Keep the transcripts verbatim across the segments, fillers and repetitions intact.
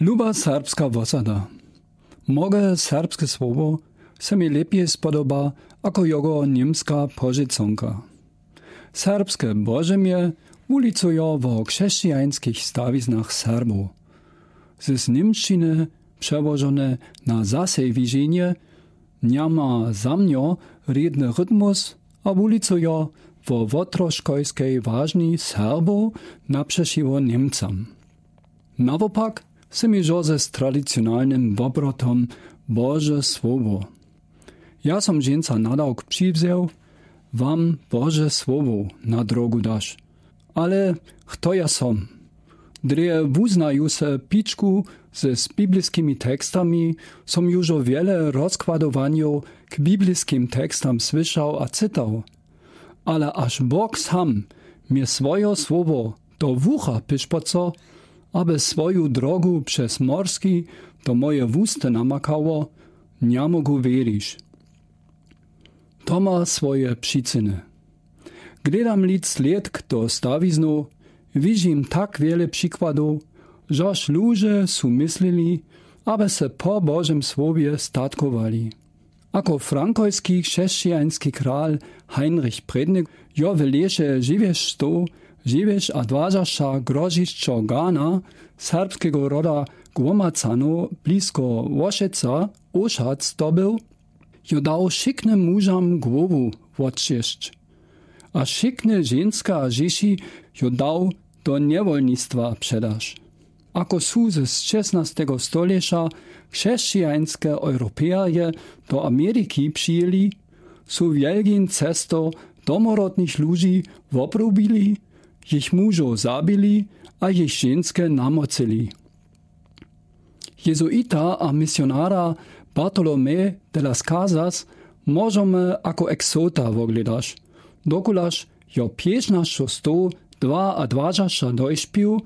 Luba serbska wosada. Moge serbske słowo se mi lepje spodoba ako jogo němska požeconka. Serbske božemje wulicujo wo křesćijańskich stawiznach Serbow. Z němšćiny přełožone na zasej wiženje njama za mnjo rědny rytmus a wulicujo wo wotroškojskej wažni Serbow napřećiwo Němcam. Nawopak se mi žo z tradicionalnym wobrotom Bože słowo. Ja som dźensa nadawk přiwzeł, wam Bože słowo na drogu daš. Ale chto ja som? Drje wuznaju se pičku z bibliskimi tekstami, som južo wjele rozkładowanjow k bibliskim tekstam słyšał a cytał. Ale aż Bóg sam mie swojo słowo do wucha pyšpoco, aby swoju drogu přez morski do moje wusty namakało, njamógł wěrić. To ma swoje přicyny. Gledam lět slědk do stawiznow, wižim tak wjele přikładow, žož luže su myslili, aby se po Božem słowje statkowali. Ako frankojski křesćijański kral Heinrich Prědny jo w lěše žiwješto žiwješadwažaša grožišćo Gana serbskego roda Głomacanow blisko Łošeca Łošac dobył, jo dał wšiknym mužam głowu wotšěsć. A wšikne ženske a dźěći jo dał do njewolnistwa předaš. Ako su z šestnastego stolěća křesćijańske Europejrje do Ameriki přijěli, su wjelgin cesto domorodnych luži wobrubili, jich mužow zabili a jich ženske namocyli. Jezuita a misionara Bartolomé de las Casas móžemy ako exota wogledaš, dokulaž jo pětnašćostow dwaadwažaša dojšpił,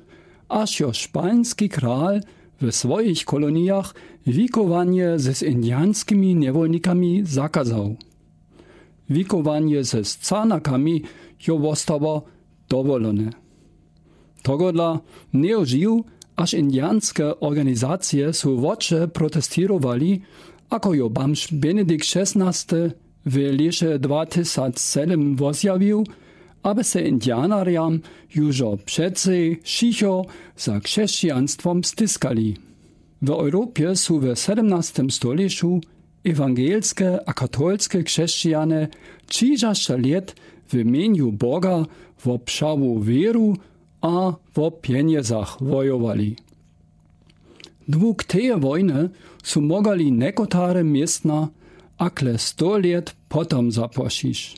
aż jo špański kral w swojich kolonijach wikowanje z indiańskimi njewolnikami zakazał. Wikowanje z scanakami jo wostało dowolone. Tohodla njejo žił, aż indiańske organizacije su woče protestirowali, ako jo bamž Benedikt šestnasty w lěše dwatysac sedym wozjawił, aby se indianerjam južo přecej wšicho za křesćijanstwom stiskali. W Europje su w sedymnastym stolěću ewangelske a katolske křesćijane ćižašća lět w mjenju Boga wo pśału wěru a wo pjenjezach wojowali. Dług teje wojny su mogali někotare městna akle sto lět potom zapłašić.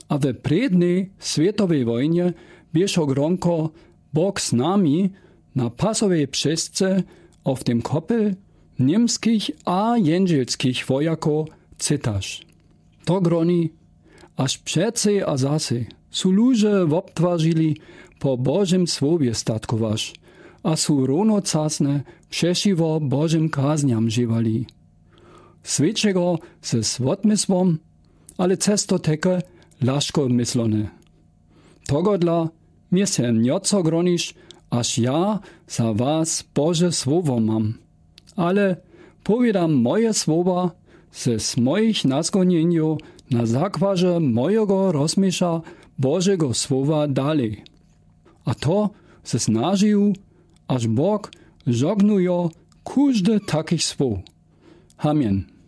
A w prědnej swětowej wojnje běšo gronko Bóg z nami na pasowej pśesce, a w tym kopel němskich a jendźelskich wojakow cytaš. To groni, aż přecej a zasej su luže wobtwarzili po Božym słowje statkowaš a su rownocasnje přećiwo Božym kaznjam žiwali. Swětšego ze swotmysłom, ale cesto teke laškomyslone. Tohodla mie se njoco groniš, aż ja za was Bože słowo mam. Ale powědam moje słowa, z mojich nazgonjenjow na zakładźe mojeho rozmysła Božego słowa dalej. A to z nadziejōm, aż Bóg žognujo kóżde takich słow. Amen.